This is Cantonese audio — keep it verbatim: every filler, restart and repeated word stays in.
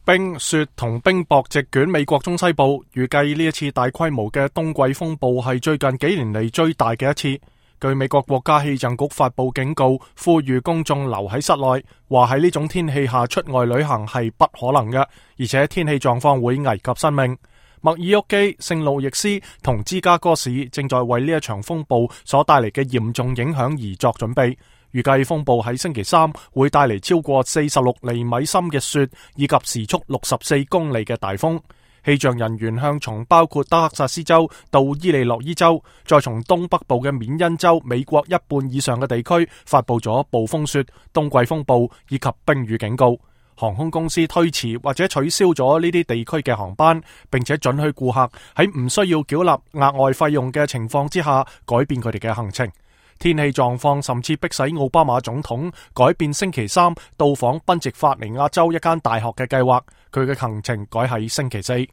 冰、雪同冰雹席捲美國中西部，預計呢一次大規模嘅冬季風暴係最近幾年嚟最大嘅一次。據美國國家氣象局發佈警告，呼籲公眾留喺室內，話喺呢種天氣下出外旅行係不可能嘅，而且天氣狀況會危及生命。密爾沃基、聖路易斯同芝加哥市正在為呢一場風暴所帶嚟嘅嚴重影響而作準備。預計風暴喺星期三會帶嚟超過四十六厘米深嘅雪，以及時速六十四公里嘅大風。氣象人員向從包括德克薩斯州到伊利諾伊州，再從東北部嘅緬因州美國一半以上嘅地區發佈咗暴風雪、冬季風暴以及冰雨警告。航空公司推遲或者取消咗呢啲地區嘅航班，並且准許顧客喺唔需要繳納額外費用嘅情況之下改變佢哋嘅行程。天氣狀況甚至迫使奧巴馬總統改變星期三到訪賓夕法尼亞州一間大學嘅計劃，佢嘅行程改喺星期四。